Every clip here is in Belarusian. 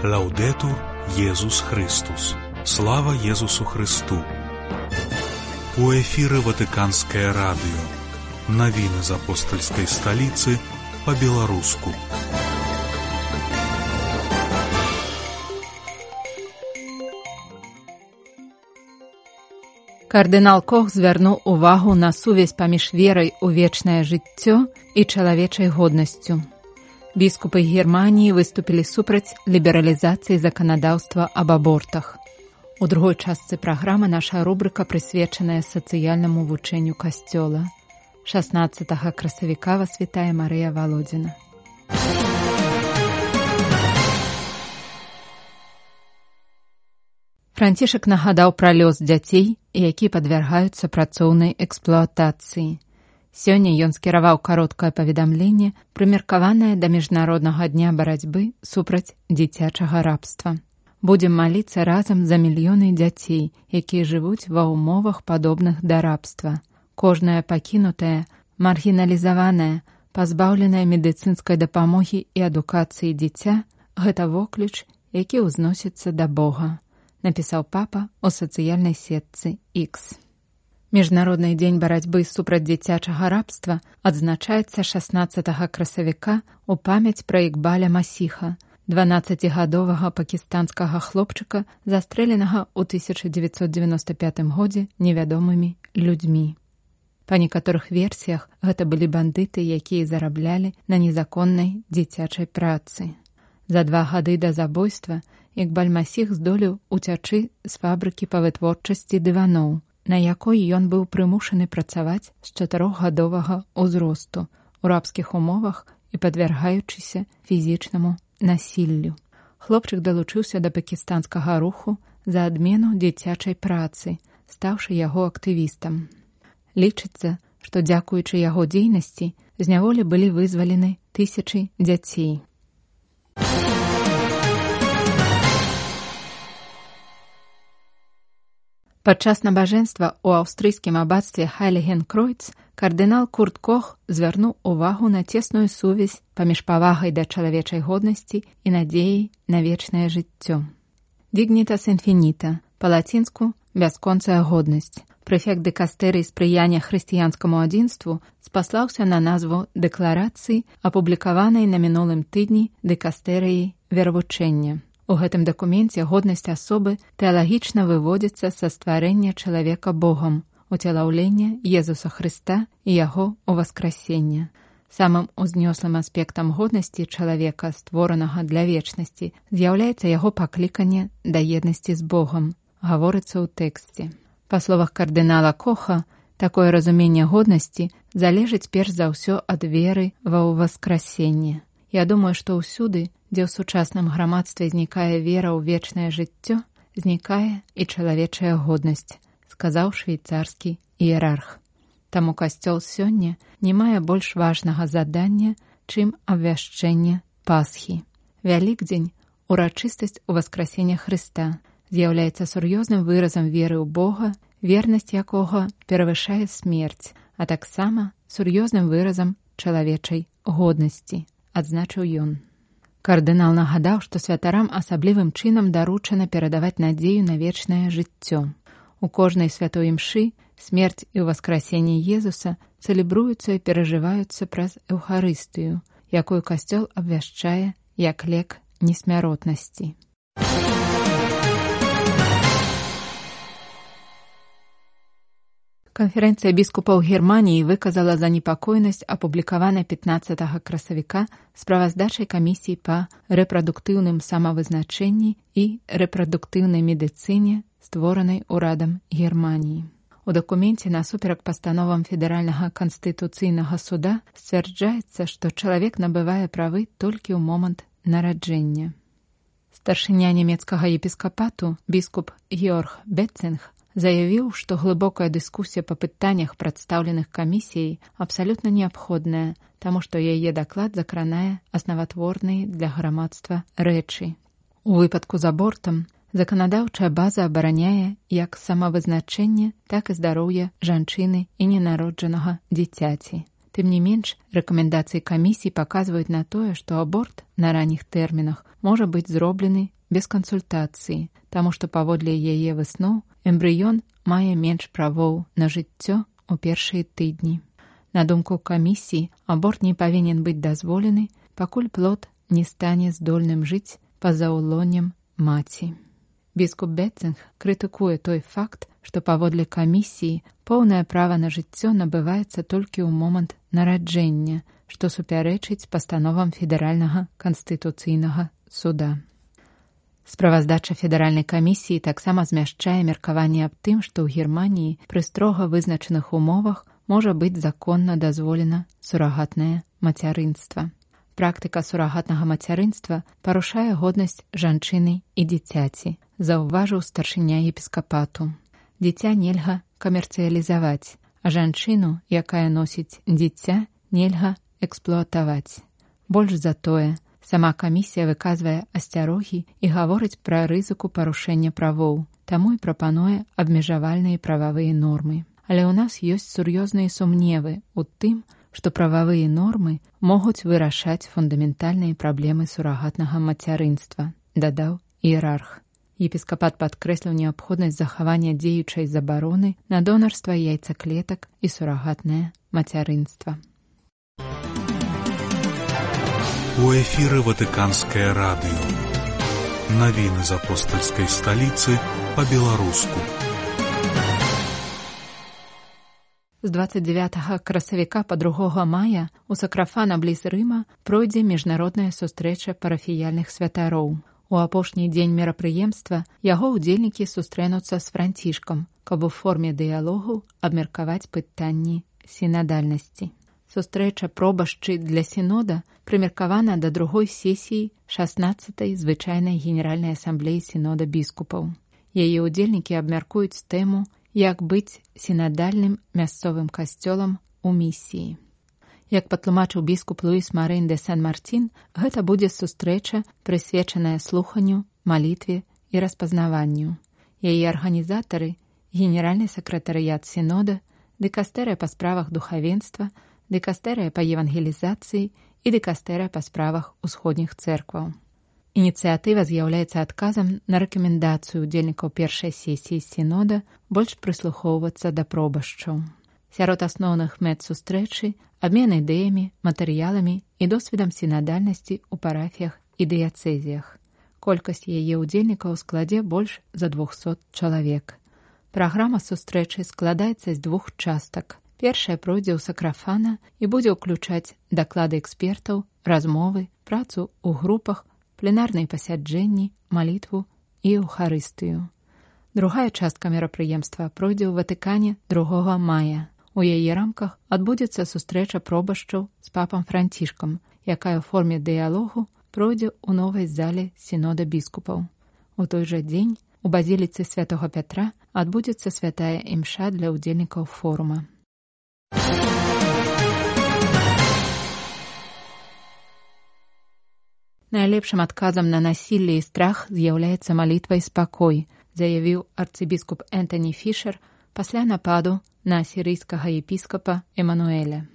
Лаўдетур Єсус Христос. Слава Єсусу Христу. У эфіры Ватыканскае радыё. Навіны з апостальскай сталіцы па-беларуску. Кардынал Кох звярнуў увагу на сувязь паміж верай у вечнае жыццё і чалавечай годнасцю. Біскупы Германіі выступілі супраць лібералізацыі заканадаўства аб абортах. У другой частцы праграмы наша рубрыка прысвечаная сацыяльнаму вучэнню касцёла. 16 красавіка вас вітае Марыя Валодзіна. Францішак нагадаў пра лёс дзяцей, які падвяргаюцца працоўнай эксплуатацыі. Сёння ён скіраваў кароткае паведамленне, прымеркаванае да міжнароднага дня барацьбы супраць дзіцячага рабства. Будзем маліцца разам за мільёны дзяцей, якія жывуць ва ўмовах падобных да рабства. Кожнае пакінутае, маргіналізаванае, пазбаўленае медыцынскай дапамогі і адукацыі дзіця – гэта вокліч, які ўзносіцца да Бога, напісаў папа ў сацыяльнай сетцы X. Міжнародны дзень барацьбы супраць дзіцячага рабства адзначаецца 16 красавіка ў памяць пра Ікбаля Масіха, 12-гадовага пакістанскага хлопчыка, застрэленага ў 1995 годзе невядомымі людзьмі. Па некаторых версіях, гэта былі бандыты, якія зараблялі на незаконнай дзіцячай працы. За 2 гады да забойства Ікбаль Масіх здолеў уцячы з фабрыкі па вытворчасці дываноў, на якой ён быў прымушаны працаваць з 4гадовага ўзросту у рабскіх умовах і падвяргаючыся фізічнаму насіллю. Хлопчык далучыўся да пакістанскага руху за адмену дзіцячай працы, стаўшы яго актывістам. Лічыцца, што дзякуючы яго дзейнасці з няволі былі вызвалены тысячы дзяцей. Падчас набажэнства ў аўстрыйскім абацтве Хайлігенкройц кардынал Курт Кох звярнуў увагу на цесную сувязь паміж павагай да чалавечай годнасці і надзеяй на вечнае жыццё. Dignitas infinita, па-лацінску бясконцая годнасць. Прэфект дыкастэрыі спрыяння хрысціянскаму адзінству спаслаўся на назву дэкларацыі, апублікаванай на мінулым тыдні дыкастэрыяй веравучэння. У гэтым дакуменце годнасць асобы тэалагічна выводзіцца са стварэння чалавека Богам, уцелаўлення Езуса Хрыста і яго ўваскрасення. Самым узнёслым аспектам годнасці чалавека, створанага для вечнасці, з'яўляецца яго пакліканне да еднасці з Богам, гаворыцца ў тэксце. Па словах кардынала Коха, такое разуменне годнасці залежыць перш за ўсё ад веры ва ўваскрасенне. Я думаю, што ўсюды, дзе ў сучасным грамадстве знікае вера ў вечнае жыццё, знікае і чалавечая годнасць, сказаў швейцарскі іерарх. Таму касцёл сёння не мае больш важнага задання, чым абвяшчэнне Пасхі. Вялікдзень, урачыстасць уваскрасення Хрыста, з'яўляецца сур'ёзным выразам веры ў Бога, вернасць якога перавышае смерць, а таксама сур'ёзным выразам чалавечай годнасці, адзначыў ён. Кардынал нагадаў, што святарам асаблівым чынам даручана перадаваць надзею на вечнае жыццё. У кожнай святой імшы смерць і ўваскрасенне Езуса цэлебруюцца і перажываюцца праз Эўхарыстыю, якую касцёл абвяшчае як лек несмяротнасці. Канферэнцыя біскупаў Германіі выказала занепакоенасць апублікаванай 15 красавіка справаздачай камісіі па рэпрадуктыўным самавызначэнні і рэпрадуктыўнай медыцыне, створанай урадам Германіі. У дакуменце насуперак пастановам Федэральнага канстытуцыйнага суда сцвярджаецца, што чалавек набывае правы толькі ў момант нараджэння. Старшыня нямецкага епіскапату, біскуп Георг Бетцинг, заявіў, што глыбокая дыскусія па пытаннях, прадстаўленых камісіяй, абсалютна неабходная, таму што яе даклад закранае аснаватворныя для грамадства рэчы. У выпадку з абортам заканадаўчая база абараняе як самавызначэнне, так і здароўе жанчыны і ненароджанага дзіцяці. Тым не менш, рэкамендацыі камісіі паказваюць на тое, што аборт на ранніх тэрмінах можа быць зроблены без кансультацыі, таму што паводле яе высноў эмбрыён мае менш правоў на жыццё ў першыя тыдні. На думку камісіі, аборт не павінен быць дазволены, пакуль плод не стане здольным жыць па-за ўлоннем маці. Біскуп Бетцинг крытыкуе той факт, што паводле камісіі поўнае права на жыццё набываецца толькі ў момант нараджэння, што супярэчыць пастановам федэральнага канстытуцыйнага суда. Справаздача федэральнай камісіі таксама змяшчае меркаванне аб тым, што ў Германіі пры строга вызначаных умовах можа быць законна дазволена сурагатнае мацярынства. Практыка сурагатнага мацярынства парушае годнасць жанчыны і дзіцяці, заўважыў старшыня епіскапату. Дзіця нельга камерцыялізаваць, а жанчыну, якая носіць дзіця, нельга эксплуатаваць. Больш за тое, сама камісія выказвае асцярогі і гаворыць пра рызыку парушэння правоў, таму і прапануе абмежавальныя прававыя нормы. Але ў нас ёсць сур'ёзныя сумневы ў тым, што прававыя нормы могуць вырашаць фундаментальныя праблемы сурагатнага мацярынства, дадаў іерарх. Епіскапат падкрэсліў неабходнасць захавання дзеючай забароны на донарства яйцаклетак і сурагатнае мацярынства. У эфіры Ватыканскае радыё. Навіны з апостальскай сталіцы па-беларуску. З 29 красавіка па 2 мая у Сакрафана бліз Рыма пройдзе міжнародная сустрэча парафіяльных святароў. У апошні дзень мерапрыемства яго ўдзельнікі сустрэнуцца з Францішкам, каб у форме дыялогу абмеркаваць пытанні сінадальнасці. Сустрэча пробашчы для сінода прымеркавана да другой сесіі 16-й звычайнай генеральнай асамблеі сінода біскупаў. Яе ўдзельнікі абмяркуюць тэму «Як быць сінадальным мясцовым касцёлам у місіі». Як патлумачыў біскуп Луіс Марин де Сан-Мартин, гэта будзе сустрэча, прысвечаная слуханню, малітве і распазнаванню. Яе арганізатары – генеральны сакратарыят сінода, дыкастэрыя па справах духавенства, дыкастэрыя па евангелізацыі і дыкастэрыя па справах усходніх цэркваў. Ініцыятыва з'яўляецца адказам на рэкамендацыю ўдзельнікаў першай сесіі сінода больш прыслухоўвацца да пробашчаў. Сярод асноўных мэт сустрэчы – абмен ідэямі, матэрыяламі і досведам сінадальнасці ў парафіях і дыяцэзіях. Колькасць яе ўдзельнікаў складзе больш за 200 чалавек. Праграма сустрэчы складаецца з 2 частак. Першая пройдзе ў Сакрафана і будзе ўключаць даклады экспертаў, размовы, працу ў групах, пленарныя пасяджэнні, малітву і эўхарыстыю. Другая частка мерапрыемства пройдзе ў Ватыкане 2 мая. У яе рамках адбудзецца сустрэча пробашчаў з папам Францішкам, якая ў форме дыялогу пройдзе ў новай зале сінода біскупаў. У той жа дзень у базіліцы святога Пятра адбудзецца святая імша для ўдзельнікаў форума. Найлепшым адказам на насілле і страх з'яўляецца малітва і спакой, заявіў арцыбіскуп Энтані Фішер пасля нападу на асірыйскага епіскапа Эмануэля.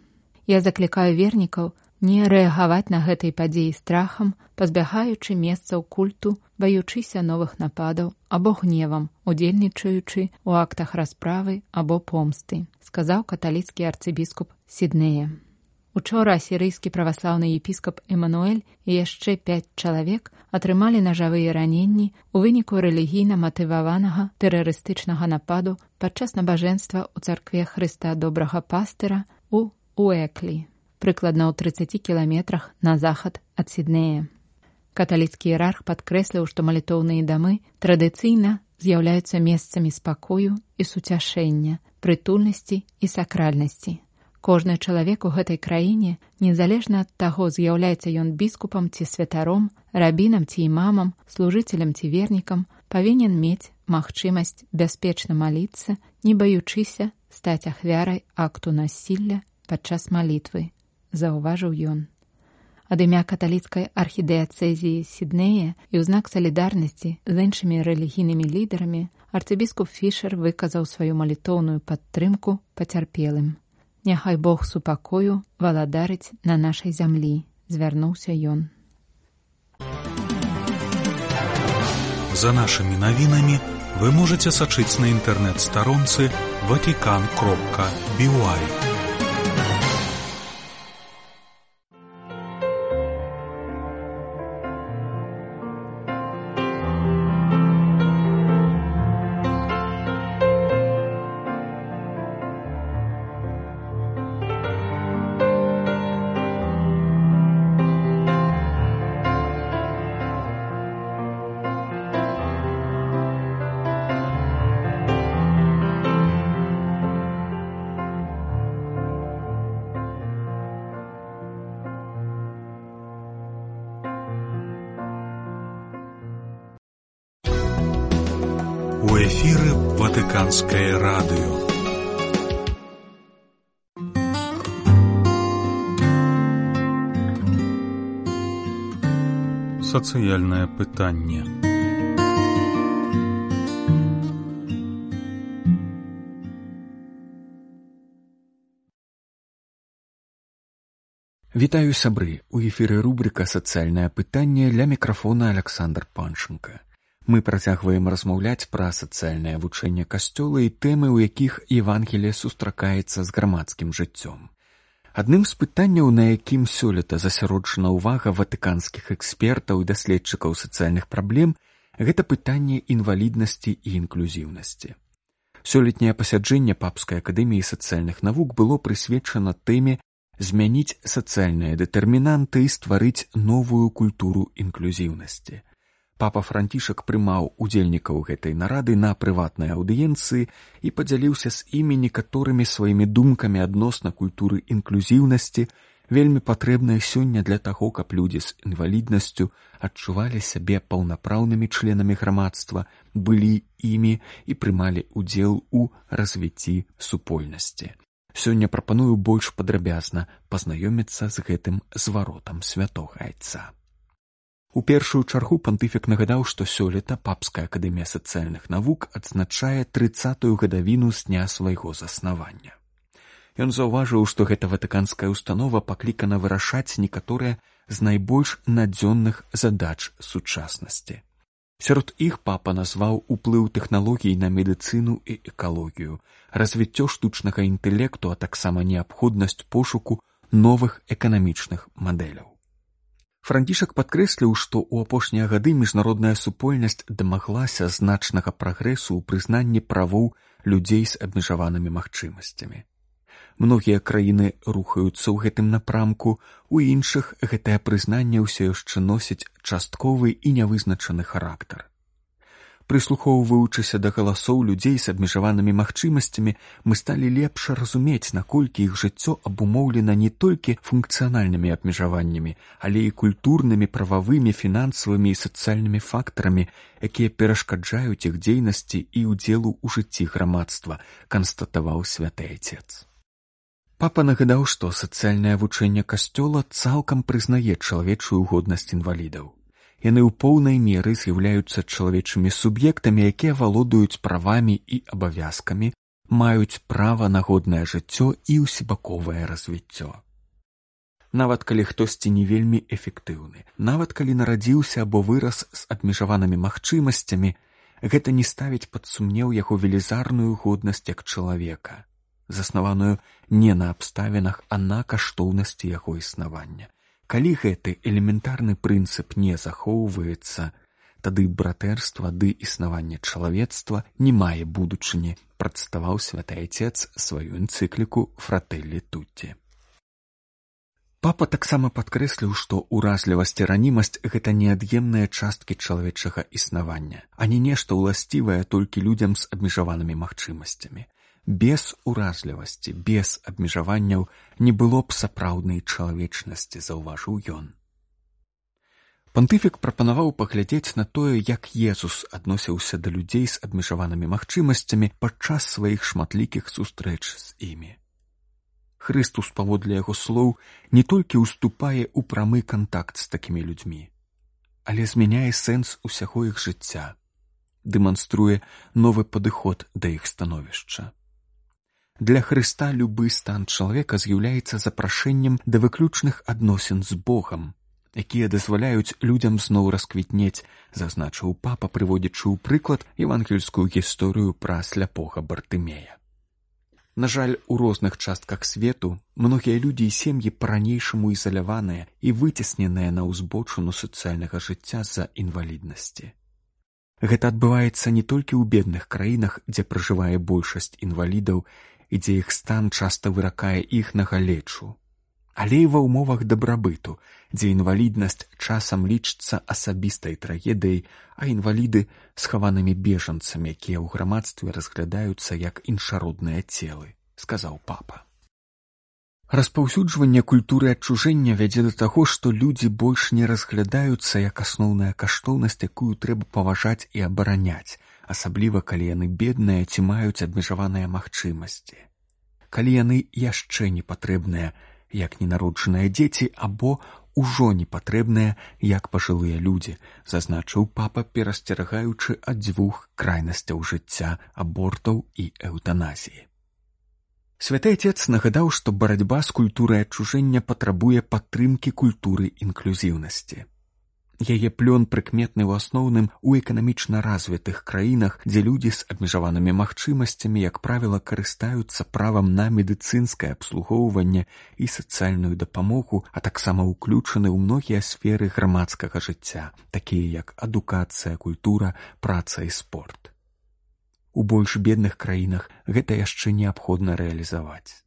Я заклікаю вернікаў не рэагаваць на гэтай падзеі страхам, пазбягаючы месцаў культу, баючыся новых нападаў або гневам, удзельнічаючы ў актах расправы або помсты, сказаў каталіцкі арцыбіскуп Сіднея. Учора асірыйскі праваслаўны епіскап Эмануэль і яшчэ 5 чалавек атрымалі нажавыя раненні ў выніку рэлігійна матываванага тэрарыстычнага нападу падчас набажэнства ў царкве Хрыста Добрага Пастыра ў Уэклі, прыкладна ў 30 кіламетрах на захад ад Сіднея. Каталіцкі іерарх падкрэсліў, што малітоўныя дамы традыцыйна з'яўляюцца месцамі спакою і суцяшэння, прытульнасці і сакральнасці. Кожны чалавек у гэтай краіне, незалежна ад таго, з'яўляецца ён біскупам ці святаром, рабінам ці імамам, служыцелем ці вернікам, павінен мець магчымасць бяспечна маліцца, не баючыся стаць ахвярай акту насілля падчас малітвы, заўважыў ён. Ад імя каталіцкай архідыяцэзіі Сіднея і ў знак салідарнасці з іншымі рэлігійнымі лідарамі арцыбіскуп Фішер выказаў сваю малітоўную падтрымку пацярпелым. Няхай Бог супакою валадарыць на нашай зямлі, звярнуўся ён. За нашими навінамі вы можете сачыць на інтэрнэт-старонцы vatican.by. У эфіры Ватыканскае радыё. Сацыяльнае пытанне. Вітаю, сябры! У эфіры рубрика «Сацыяльнае пытанне», ля мікрафона Александр Панченко. Мы працягваем размаўляць пра сацыяльнае вучэнне касцёла і тэмы, у якіх Евангелие сустракаецца з грамадскім жыццём. Адным з пытанняў, на якім сёлета засяроджана ўвага ватыканскіх экспертаў і даследчыкаў сацыяльных праблем, гэта пытанне інваліднасці і інклюзіўнасці. Сёлетняе пасяджэнне Папскай акадэміі сацыяльных навук было прысвечана тэме змяніць сацыяльныя дэтэрмінанты і стварыць новую культуру інклюзіўнасці. Папа Францішак прымаў удзельнікаў гэтай нарады на прыватнай аўдыенцыі і падзяліўся з імі некаторымі сваімі думкамі адносна культуры інклюзіўнасці, вельмі патрэбнай сёння для таго, каб людзі з інваліднасцю адчувалі сябе паўнапраўнымі членамі грамадства, былі імі і прымалі ўдзел у развіцці супольнасці. Сёння прапаную больш падрабязна пазнаёміцца з гэтым зваротам святога айца. У першую чаргу пантыфік нагадаў, што сёлета Папская акадэмія сацыяльных навук адзначае 30-ю гадавіну з дня свайго заснавання. Ён заўважыў, што гэта ватыканская установа паклікана вырашаць некаторыя з найбольш надзённых задач сучаснасці. Сярод іх папа назваў уплыў тэхналогій на медыцыну і экалогію, развіццё штучнага інтэлекту, а таксама неабходнасць пошуку новых эканамічных мадэляў. Францішак падкрэсліў, што ў апошнія гады міжнародная супольнасць дамаглася значнага прагрэсу ў прызнанні правоў людзей з абмежаванымі магчымасцямі. Многія краіны рухаюцца ў гэтым напрамку, у іншых гэтае прызнанне ўсё яшчэ носіць частковы і нявызначаны характар. Прыслухоўваючыся да галасоў людзей з абмежаванымі магчымасцямі, мы сталі лепш разумець, наколькі іх жыццё абумоўлена не толькі функцыянальнымі абмежаваннямі, але і культурнымі, прававымі, фінансавымі і сацыяльнымі фактарамі, якія перашкаджаюць іх дзейнасці і ўдзелу ў жыцці грамадства, канстатаваў святы айцец. Папа нагадаў, што сацыяльнае вучэнне касцёла цалкам прызнае чалавечую годнасць інвалідаў. Яны ў поўнай меры з'яўляюцца чалавечымі суб'ектамі, якія валодаюць правамі і абавязкамі, маюць права на годнае жыццё і ўсебаковае развіццё. Нават калі хтосьці не вельмі эфектыўны, нават калі нарадзіўся або вырас з абмежаванымі магчымасцямі, гэта не ставіць пад сумнеў яго велізарную годнасць як чалавека, заснаваную не на абставінах, а на каштоўнасці яго існавання. Калі гэты элементарны прынцып не захоўваецца, тады братэрства ды існаванне чалавецтва не мае будучыні, прадставаў святы айцец сваю энцыкліку «Фрателлі Тутті». Папа таксама падкрэсліў, што ўразлівасць і ранімасць – гэта неад'емныя часткі чалавечага існавання, а не нешта ўласцівае толькі людзям з абмежаванымі магчымасцямі. Без уразлівасці, без абмежаванняў не было б сапраўднай чалавечнасці, заўважыў ён. Пантыфік прапанаваў паглядзець на тое, як Езус адносіўся да людзей з абмежаванымі магчымасцямі падчас сваіх шматлікіх сустрэч з імі. Хрыстус, паводле яго слоў, не толькі ўступае ў прамы кантакт з такімі людзьмі, але змяняе сэнс усяго іх жыцця, дэманструе новы падыход да іх становішча. Для Хрыста любы стан чалавека з'яўляецца запрашэннем да выключных адносін з Богам, якія дазваляюць людзям зноў расквітнець, зазначыў папа, прыводзячы ў прыклад евангельскую гісторыю пра сляпога Бартымея. На жаль, у розных частках свету многія людзі і сем'і па-ранейшаму ізаляваныя і выцесненыя на ўзбочыну сацыяльнага жыцця з-за інваліднасці. Гэта адбываецца не толькі ў бедных краінах, дзе пражывае большасць інвалідаў і дзе іх стан часта выракае іх на галечу, але і ва ўмовах дабрабыту, дзе інваліднасць часам лічыцца асабістай трагедыяй, а інваліды — схаванымі бежанцамі, якія ў грамадстве разглядаюцца як іншародныя целы, сказаў папа. Распаўсюджванне культуры адчужэння вядзе да таго, што людзі больш не разглядаюцца як асноўная каштоўнасць, якую трэба паважаць і абараняць, асабліва калі яны бедныя ці маюць абмежаваныя магчымасці. Калі яны яшчэ не патрэбныя, як ненароджаныя дзеці, або ўжо не патрэбныя, як пажылыя людзі, зазначыў папа, перасцерагаючы ад дзвюх крайнасцяў жыцця — абортаў і эўтаназіі. Святы Отец нагадаў, што барацьба з культурай адчужэння патрабуе падтрымкі культуры інклюзіўнасці. Яе плён прыкметны ў асноўным у эканамічна развітых краінах, дзе людзі з абмежаванымі магчымасцямі, як правіла, карыстаюцца правам на медыцынскае абслугоўванне і сацыяльную дапамогу, а таксама ўключаны ў многія сферы грамадскага жыцця, такія як адукацыя, культура, праца і спорт. У больш бедных краінах гэта яшчэ неабходна рэалізаваць.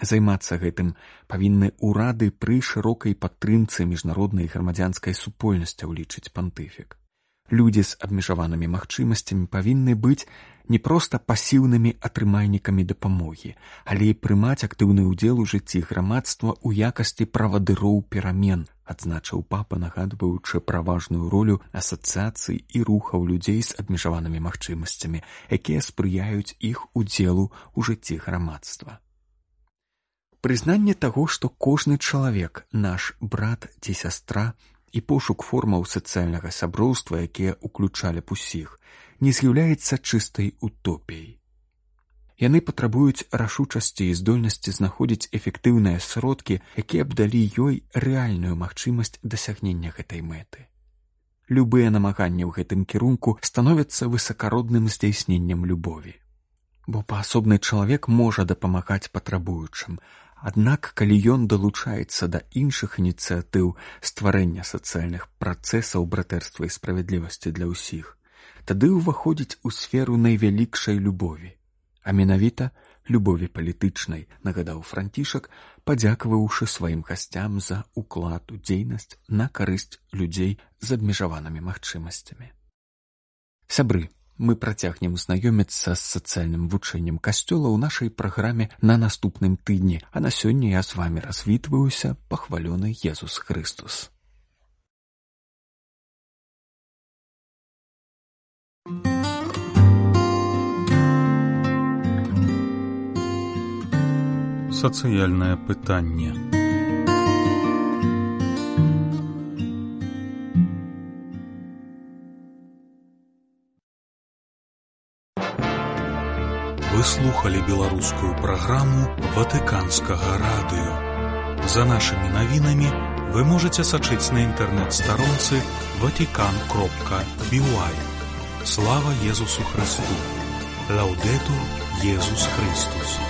Займацца гэтым павінны ўрады пры шырокай падтрымцы міжнароднай грамадзянскай супольнасці, лічыць пантыфік. Людзі з абмежаванымі магчымасцямі павінны быць не проста пасіўнымі атрымальнікамі дапамогі, але і прымаць актыўны ўдзел у жыцці грамадства ў якасці правадыроў перамен, адзначыў папа, нагадваючы пра важную ролю асацыяцый і рухаў людзей з абмежаванымі магчымасцямі, якія спрыяюць іх удзелу ў жыцці грамадства. Прызнанне таго, што кожны чалавек — наш брат ці сястра, і пошук формаў сацыяльнага сяброўства, якія ўключалі б усіх, не з'яўляецца чыстай утопіяй. Яны патрабуюць рашучасці і здольнасці знаходзіць эфектыўныя сродкі, якія б далі ёй рэальную магчымасць дасягнення гэтай мэты. Любыя намаганні ў гэтым кірунку становяцца высакародным здзяйсненнем любові. Бо паасобны чалавек можа дапамагаць патрабуючым, аднак калі ён далучаецца да іншых ініцыятыў стварэння сацыяльных працэсаў братэрства і справядлівасці для ўсіх, тады ўваходзіць у сферу найвялікшай любові, а менавіта любові палітычнай, нагадаў Францішак, падзякаваўшы сваім гасцям за ўклад у дзейнасць на карысць людзей з абмежаванымі магчымасцямі. Сябры, мы працягнем знаёміцца з сацыяльным вучэннем Касцёла ў нашай праграме на наступным тыдні, а на сёння я з вамі развітваюся, пахвалёны Езус Хрыстус. Сацыяльнае пытанне. Вы слухали беларускую праграму Ватыканскага радыё. За нашымі навінамі вы можаце сачыць на інтэрнэт-старонцы vatican.by. Слава Езусу Христу! Лаўдэтур Езус Христус!